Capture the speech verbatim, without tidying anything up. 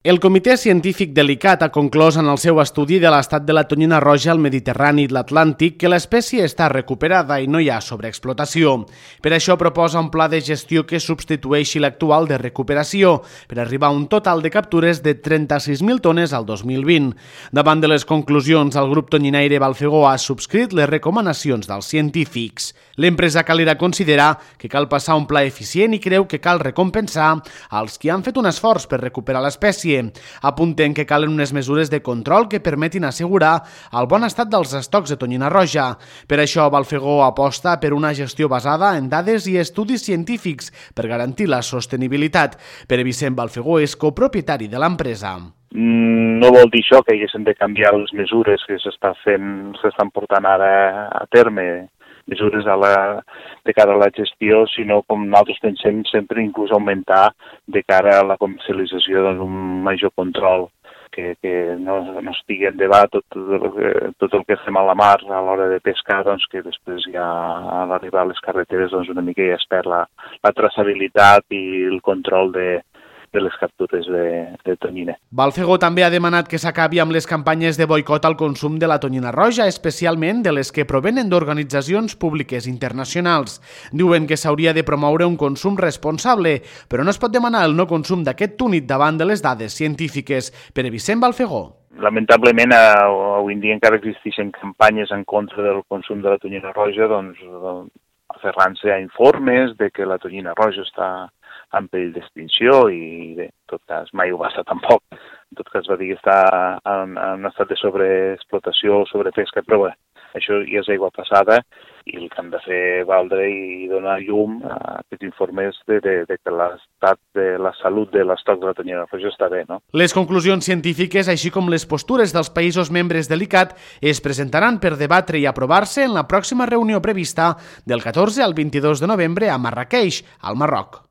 El Comitè Científic de l'I C A T ha conclòs en el seu estudi de l'estat de la tonyina roja al Mediterrani i l'Atlàntic que l'espècie està recuperada i no hi ha sobreexplotació. Per això proposa un pla de gestió que substitueixi l'actual de recuperació, per arribar a un total de captures de trenta-sis mil tones al dos mil vint. Davant de les conclusions, el grup tonyinaire Balfegó ha subscrit les recomanacions dels científics. L'empresa calera considera que cal passar un pla eficient i creu que cal recompensar als qui han fet un esforç per recuperar l'espècie. Apunten que calen unes mesures de control que permetin assegurar el bon estat dels estocs de tonyina roja. Per això, Balfegó aposta per una gestió basada en dades i estudis científics per garantir la sostenibilitat. Pere Vicent Balfegó és copropietari de l'empresa. No vol dir això que haguessin de canviar les mesures que s'estan fent, s'estan portant ara a terme, mesures a la, de cara a la gestió, sinó com nosaltres pensem sempre inclús augmentar de cara a la comercialització doncs, un major control, que, que no, no estigui en debat tot, tot el que fem a la mar a l'hora de pescar, doncs, que després ja a l'arribar a les carreteres doncs, una mica ja es perd la, la traçabilitat i el control de de les captures de, de tonyina. Balfegó també ha demanat que s'acabi amb les campanyes de boicot al consum de la tonyina roja, especialment de les que provenen d'organitzacions públiques internacionals. Diuen que s'hauria de promoure un consum responsable, però no es pot demanar el no consum d'aquest túnid davant de les dades científiques. Pere Vicent Balfegó. Lamentablement, avui en dia encara existeixen campanyes en contra del consum de la tonyina roja, doncs, aferrant-se a informes de que la tonyina roja està en perill d'extinció i, bé, en tot cas, mai ho va estar tampoc. En tot cas, va dir que està en, en estat de sobreexplotació o sobrepesca, però bé, això ja és aigua passada i el que han de fer valdre i donar llum a aquests informes de, de, de que l'estat de la salut de l'estoc de la tonyina roja està bé, no? Les conclusions científiques, així com les postures dels països membres de l'I C A T, es presentaran per debatre i aprovar-se en la pròxima reunió prevista del catorze al vint-i-dos de novembre a Marràqueix, al Marroc.